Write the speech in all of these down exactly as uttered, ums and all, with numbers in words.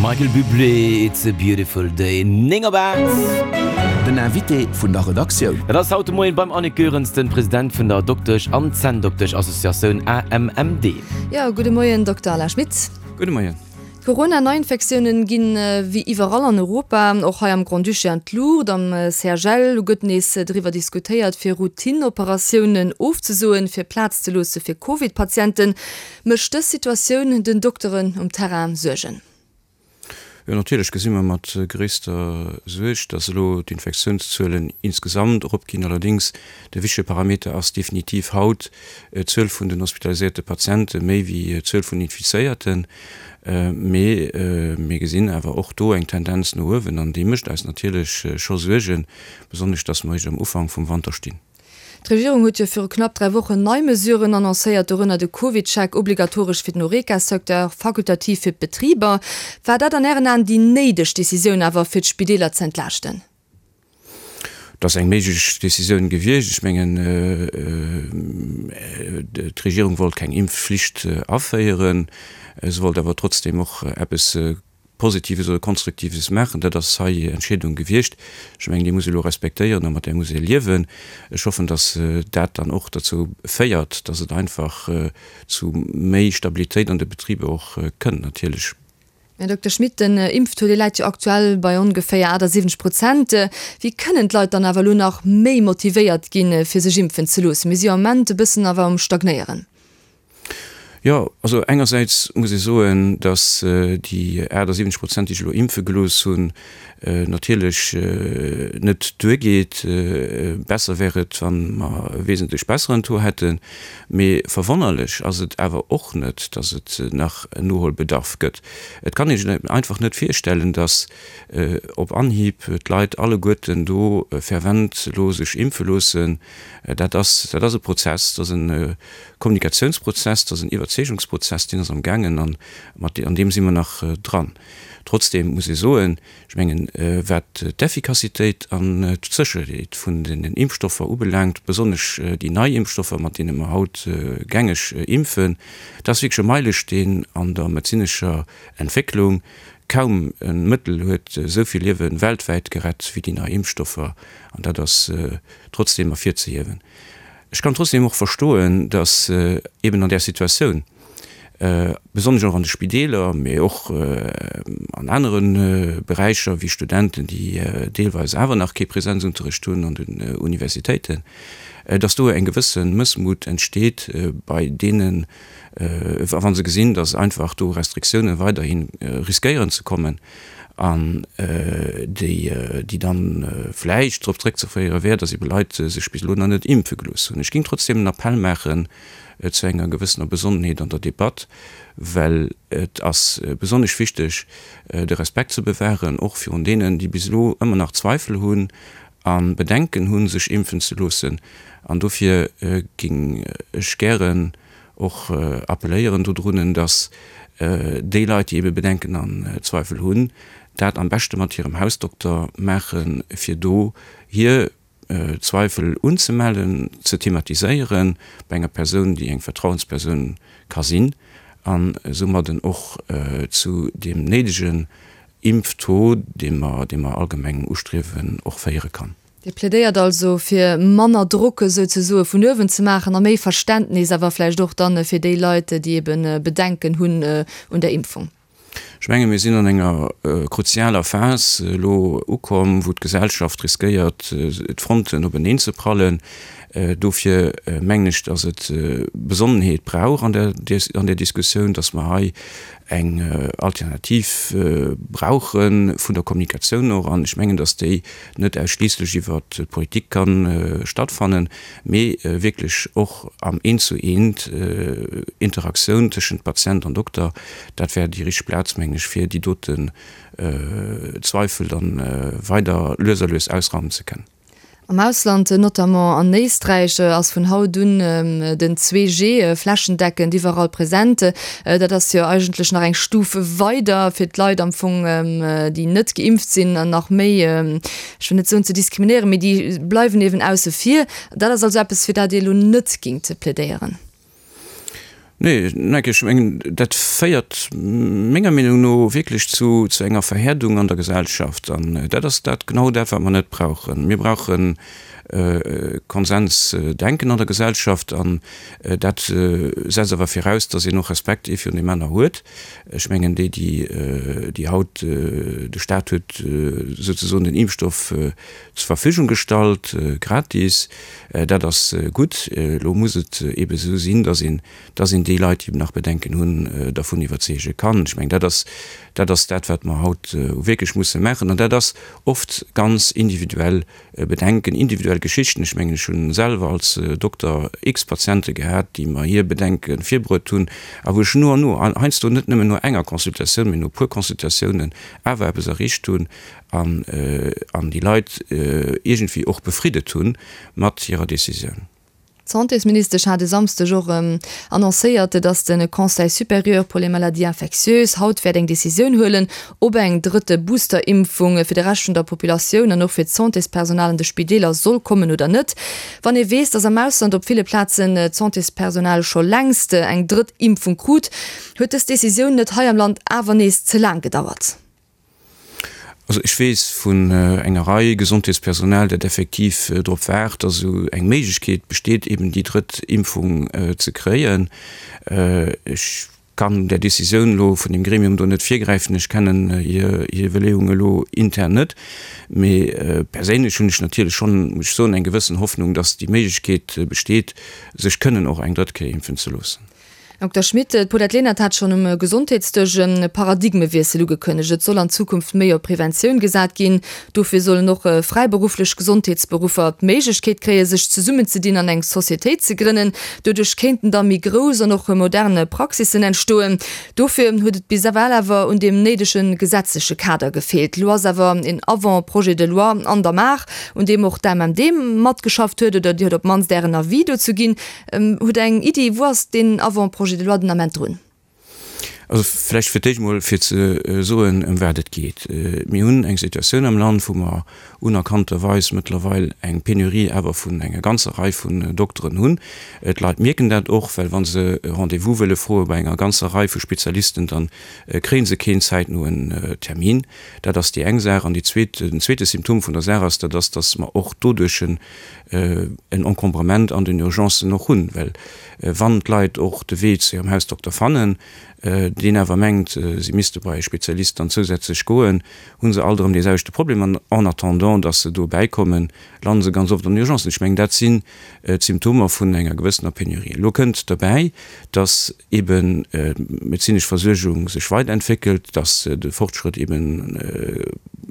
Michael Bublé, It's a beautiful day, néng op aacht. Den Invité vun der Redaktioun. Dat ass haut de Moien beim Annick Goerens, den President vun der Doktesch an Zänndoktesch-Associatioun A M M D. Jo, gudde Moien, Dokter Alain Schmit. Gudde Moien. D'Corona-Neiinfektiounen ginn wéi iwwerall an Europa, och hei am Grand-Duché an d'Luucht. Am C H L elo gëtt nees driwwer diskutéiert, fir Routine-Operatiounen ofzesoen, fir Plaz ze loosse fir Covid-Patienten. Mécht dës Situatioun den Dokteren um Terrain Suergen? Jo, natierlech gesi mer mat gréisster Suerg, dass elo d'Infektiounszuelen insgesamt eropginn. Allerdéngs, de wichtege Parameter ass definitiv haut d'Zuel vun den hospitaliséierte Patiente méi wéi d'Zuel vun Infizéierten. Mee mir gesinn awer och do eng Tendenz no uewen an déi mécht eis natierlech scho Suergen, besonnesch dass mer eréischt am Ufank vum Wanter stinn. D'Regierung huet jo viru knapp dräi Wochen nei Mesuren annoncéiert, dorënner de CovidCheck obligatoresch fir den Horeca-Secteur, fakultativ fir d'Betriber. War dat an Ären Aen déi néideg Decisioun awer fir d'Spideeler ze entlaaschten? Dat ass eng méiglech Decisioun gewiescht. Ech mengen, d'Regierung wollt keng Impfflicht aféieren. Se wollt awer trotzdem och eppes Positives oder Konstruktives maachen. Dat ass hei Entscheedung gewiescht. Ech mengen, déi muss ee elo respektéieren a mat där muss ee liewen. Ech hoffen, datt dat dann och derzou féiert, datt et einfach zu méi Stabilitéit an de Betriber och kënnt natierlech. Här Dokter Schmit, den Impftaux, dee läit jo aktuell bei ongeféier achtasiwwenzeg Prozent. Wéi kënnen d'Leit dann awer elo nach méi motivéiert ginn, fir sech impfen ze loossen? Mir si jo am Ament e bëssen awer um Stagnéieren. Jo, also engersäits muss ee soen, datt déi achtasiwwenzeg Prozent, déi sech elo impfe gelooss hunn, natierlech net duergeet. Besser wär et, wa mer e wesentlech besseren Taux hätten. Mee verwonnerlech ass et awer och net, datt et nach en Noholbedarf gëtt. Et kann ee sech einfach net virstellen, datt op Anhieb d'Leit alleguerten do fervent elo sech impfe loossen. Dat ass, dat ass e Prozess, dat ass e Kommunikatiounsprozess, dat ass en Iwwerzeegungsprozess, deen ass am gaangen an mat an deem si mer nach dran. Trotzdem muss ee soen, ech mengen, wat d'Effikassitéit an d'Sécherheet vun den Impfstoffer ubelaangt, besonnesch déi nei Impfstoffer, mat deene mer haut gängeg impfen, dat ass wierklech e Meilesteen an der medezinescher Entwécklung. Kaum e Mëttel huet esou vill Liewe weltwäit gerett wéi déi nei Impfstoffer, an dat ass trotzdem ervirzehiewen. Ech kann trotzdem och verstoen, datt eben an där Situatioun, besonnesch och an de Spideeler, mee och an anere Beräicher wéi Studenten, déi deelweis awer nach kee Präsenzunterricht hunn an den Universitéiten, datt do eng gewësse Mëssmut entsteet bei deenen, wa se gesinn, datt einfach do Restriktioune weiderhi riskéieren ze kommen an déi déi dann vläicht drop zréckzeféiere wär, datt ebe Leit sech bis elo nach net impfe gelooss hunn. Ech géing trotzdem en Appell maachen zu enger gewëssener Besonnenheet an der Debatt, well et ass besonnesch wichteg, de Respekt ze bewahren, och virun deenen, déi bis elo ëmmer nach Zweifel hunn a Bedenken hunn, sech impfen ze loossen. An dofir géing ech gären och appelléieren dodrunnen, datt déi Leit, déi ebe Bedenken an Zweifel hunn, dat am beschte mat hirem Hausdokter maachen, fir do hir Zweifel unzemellen, ze thematiséieren bei enger Persoun, déi eng Vertrauenspersoun ka sinn, an soumadden och zu deem néidegen Impftaux, dee mer, dee mer allgemeng ustriewen, och féiere kann. Dir plädéiert also, fir manner Drock souzesoe vun uewen ze maachen a méi Verständnis awer vläicht och dann fir déi Leit, déi ebe Bedenken hunn un der Impfung. Ech menge mir sinn an enger kruzialer Phas elo ukomm, wou d'Gesellschaft riskéiert, d'Fronten openeen ze prallen. Dofir mengen ech, datt et Besonnenheet brauch an der an der Diskussioun, datt mer hei eng Alternativ brauche vun der Kommunikatioun och. An ech mengen, datt déi net ausschliisslech iwwer d'Politik ka stattfannen, mee wierklech och am Eent-zu-eent, Interaktioun tëschent Patient an Dokter. Dat wär déi richteg Plaz, mengen ech, fir déi doten Zweifel dann weider lues a lues ausraumen ze kënnen. Am Ausland, notamment an Éisträich, ass vun haut un den zwee G flächendeckend iwwerall present. Dat ass jo eigentlech nach eng Stuf weider, fir d'Leit am Fong, déi net geimpft sinn, nach méi, ech wëll net soen ze diskriminéieren, mee déi bleiwen eben ausse vir. Dat ass also eppes, fir dat Dir elo net géingt plädéieren? Nee, ech mengen, dat féiert menger Meenung no wierklech zu, zu enger Verhäerdung an der Gesellschaft. An dat ass dat, genau dat, wat mer net brauchen. Mir brauchen Konsensdenken an der Gesellschaft an dat setzt awer viraus, dass een och Respekt ee virun deem aner huet. Ech mengen, déi, déi, déi haut, de Stat huet souzesoen den Impfstoff zur Verfügung gestallt, gratis, dat ass gutt. Elo muss et eebe esou sinn, dass een, dass een déi Leit, déi eben nach Bedenken hunn, dervun iwwerzeege kann. Ech mengen, dat ass, dat ass dat, wat mer haut wierklech musse maachen. An dat ass oft ganz individuell Bedenken, individuell Geschichten. Ech mengen, ech hunn selwer als Dokter x Patiente gehat, déi mer hir Bedenke virbruet hunn a wou ech no an no, heiansdo net nëmmen no enger Consultatioun, mee no e puer Consultatiounen awer eppes erreecht hunn an, an déi Leit iergendwéi och befriddet hunn mat hirer Decisioun. D'Santésministesch hat e Samsdeg och annoncéiert, datt de Conseil supérieur pour les maladies infectieuses haut wäert eng Decisioun huelen, ob eng drëtte Booster-Impfung fir de Rescht vun der Populatioun an och fir d'Santéspersonal an de Spideeler soll kommen oder net. Wann ee weess, datt am Ausland op ville Plazen d'Santéspersonal scho längst eng drëtt Impfung krut, huet dës Decisioun net hei am Land awer nees ze laang gedauert? Also ech weess vun enger Rei Gesondheetspersonal, dat effektiv drop waart, dass esou eng Méiglechkeet besteet, eben déi drëtt Impfung ze kréien. Ech kann där Décisioun elo vun deem Gremium do net virgräifen. Ech kennen hir Iwwerleeungen elo intern net. Mee perséinlech hunn ech natierlech schonn, muss ech soen, eng gewëssen Hoffnung, dass déi Méiglechkeet besteet, sech kënnen och eng drëtt Kéier impfen ze loossen. Dokter Schmit, d'Paulette Lenert hat schonn um Gesondheetsdësch e Paradigmewiessel ugekënnegt. Et soll an Zukunft méi op Preventioun gesat ginn. Dofir sollen och fräiberufflech Gesondheetsberuffer d'Méiglechkeet kréien, sech zesummenzedinn an eng Societéit ze grënnen. Doduerch kéinten da méi grouss an och modern Praxissen entstoen. Dofir huet et bis ewell awer un deem néidege gesetzleche Kader gefeelt. Elo ass awer een Avant-projet de loi an der Maach, un deem och d'AMMD matgeschafft huet, oder Dir hutt op d'mannst Ären Avis dozou ginn. Hutt Der eng Iddi, wou ass deen Avant-projet de loi den Ament drun? Also vläicht fir d'éischt emol fir ze soen, ëm wat et geet. Mir hunn eng Situatioun am Land, wou mer unerkannterweis mëttlerweil eng Penurie awer vun enger ganzer Rei vun Dokteren hunn. D'Leit mierken dat och, well wa se e Rendez-vous wëlle froe bei enger ganzer Rei vu Spezialisten, da kréie se keen zäitnoen Termin. Dat ass déi eng Saach. An déi zweet, den zweete Symptom vun der Saach ass, dat ass, dass mer och doduerch en Encombrement an den Urgencen och hunn, well wann d'Leit och de Wee zu hirem Hausdokter fannen, deen awer mengt, si misste bei e Spezialist dann zousätzlech goen, hu se alt erëm dee selwechte Problem. An en attendant, dass se do bäikommen, lande se ganz oft an den Urgencen. Ech mengen, dat sinn d'Symptomer vun enger gewëssener Penurie. Elo kënnt derbäi, dass eben d'medezinesch Versuergung sech weiterentwéckelt, dass de Fortschrëtt eben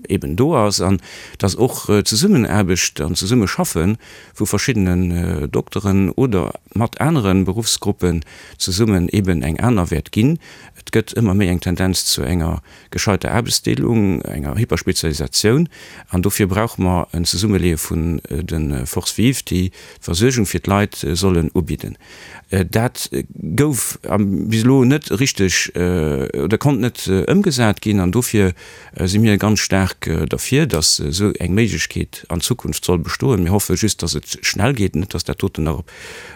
eben do ass an dass och d'Zesummenaarbecht an d'Zesummeschaffe vu verschiddenen Dokteren oder mat anere Beruffsgruppen zesummen eben eng aner wäert ginn. Et gëtt ëmmer méi eng Tendenz zu enger gescheiter Aarbechtsdeelung, enger Hyperspezialisatioun an dofir brauche mer en Zesummeleeë vun de Forces vives, déi d'Versuergung fir d'Leit sollen ubidden. Dat gouf bis elo net richteg oder konnt net ëmgesat ginn an dofir si mir ganz staark derfir, dass esou eng Méiglechkeet an Zukunft soll bestoen. Mir hoffe just, dass et schnell geet, net dass dat doten nach op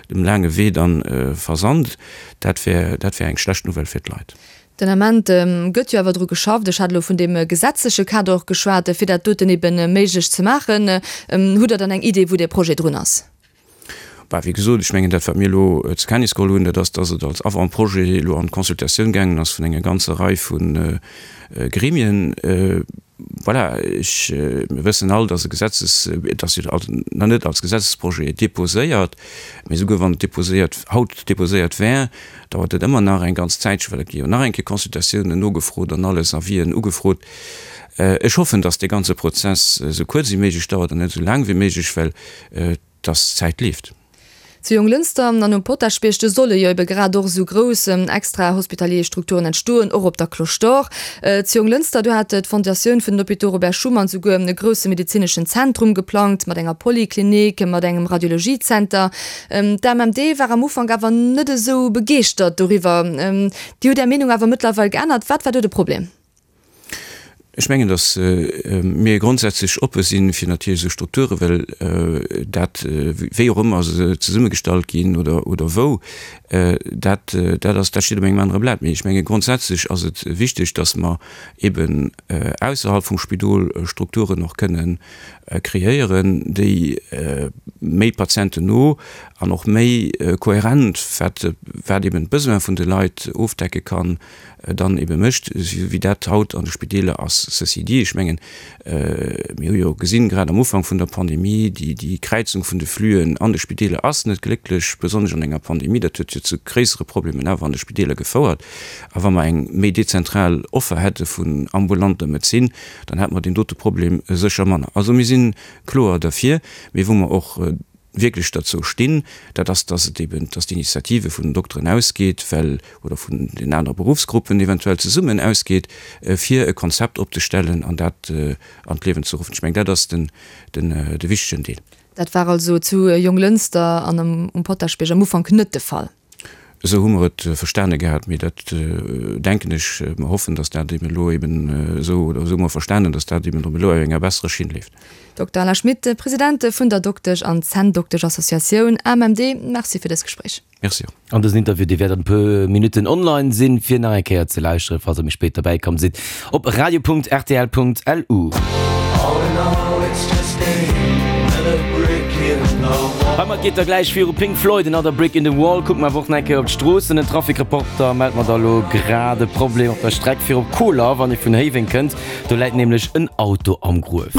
dem laange Wee dann versand. Dat wär, dat wär eng schlecht Nouvelle fir d'Leit. Den Ament gëtt jo awer dru geschafft, ech hat elo vun deem gesetzleche Kader och geschwat, fir dat doten ebe méiglech ze maachen. Hutt Der dann eng Idee, wou dee Projet drun ass? Bah, wéi gesot, ech mengen, dat, wat mir elo zur Kenntnis geholl hunn, dat ass, dass et als Avant-projet elo an d'Consultatioun gaangen ass vun enger ganzer Rei vu Gremien. Voilà, ech, mir wëssen all, dass e Gesetzes, et ass jo nach net als Gesetzesprojet déposéiert, mee souguer wann et déposéiert, haut déposéiert wär, dauert et ëmmer nach eng ganz Zäitche, well et gi jo nach eng Kéier Consultatiounen nogefrot an alles, Avisen ugefrot. Ech hoffen, dass dee ganze Prozess esou kuerz wéi méiglech dauert an net esou laang wéi méiglech, well dass d'Zäit leeft. Zu Jonglënster an um Potaschbierg, do solle jo ebe grad och esou grouss extra-hospitalier Strukturen entstoen, och op der Cloche d'Or. Zu Jonglënster, do hat d'Fondatioun vun den Hôpitaux Robert Schuman souguer e grousse medezineschen Zentrum geplangt, mat enger Poliklinik, mat engem Radiologiezenter. D'AMMD war am Ufank awer net esou begeeschtert doriwwer. Dir hutt Är Meenung awer mëttlerweil geännert. Wat war do de Problem? Ech mengen, datt mir grondsätzlech oppe si fir natierlech esou Strukturen, well dat, wéi och ëmmer se zesummegestallt ginn oder, oder wou, dat, dat ass, dat steet op engem anere Blat. Mee ech menge grondsätzlech ass et wichteg, datt mer eben ausserhalb vum Spidol Strukturen och kënnen kreéieren, déi méi patientenno an och méi kohärent, wat, wat eben d'Besoin vun de Leit ofdecke kann, dann ebe mécht, esou wéi dat haut an de Spideeler ass. Ceci dit, ech mengen, mir hu jo gesinn, grad am Ufank vun der Pandemie, déi, déi Kräizung vun de Flüen an de Spideeler ass net glécklech, besonnesch an enger Pandemie. Dat huet jo zu gréissere Problemen awer an de Spideeler gefouert. A wa mer eng méi dezentral Offer hätte vun ambulanter Medezin, dann hätte mer deen dote Problem sécher manner. Also mir si kloer derfir, mee wou mer och wierklech derzou stinn, dat ass, dass et eben, dass d'Initiative vun den Dokteren ausgeet, well, oder vun den anere Berufsgruppen eventuell zesummen ausgeet, fir e Konzept opzestellen an dat an d'Liewen ze ruffen. Ech mengen, dat ass den, den, de wichtegen Deel. Dat war also zu Jonglënster an um Potaschbierg am Ufank net de Fall. Esou hu mer et verstane gehat, mee dat denken ech, mer hoffen, datt dat eben elo eben esou, oder esou hu mer verstanen, datt dat eben elo op enger besserer Schinn leeft. Dokter Alain Schmit, President vun der Doktesch an Zänndoktesch-Associatioun A M M D, Merci fir dëst Gespréich. Merci och. An dësen Interview, dee wäert an e puer Minutten online sinn, fir nach eng Kéier ze lauschteren, falls der méi spéit derbäi komm sidd, op radio Punkt R T L Punkt L U. Heimat geet da gläich viru Pink Floyd, Another Brick in the Wall. Kucke mer awer och nach eng Kéier op d'Stroossen. Den Trafic-Reporter mellt mer da lo grad e Problem op der Streck fir op Koler, wann ee vun Héiweng kënnt. Do läit nämlech en Auto am Gruef.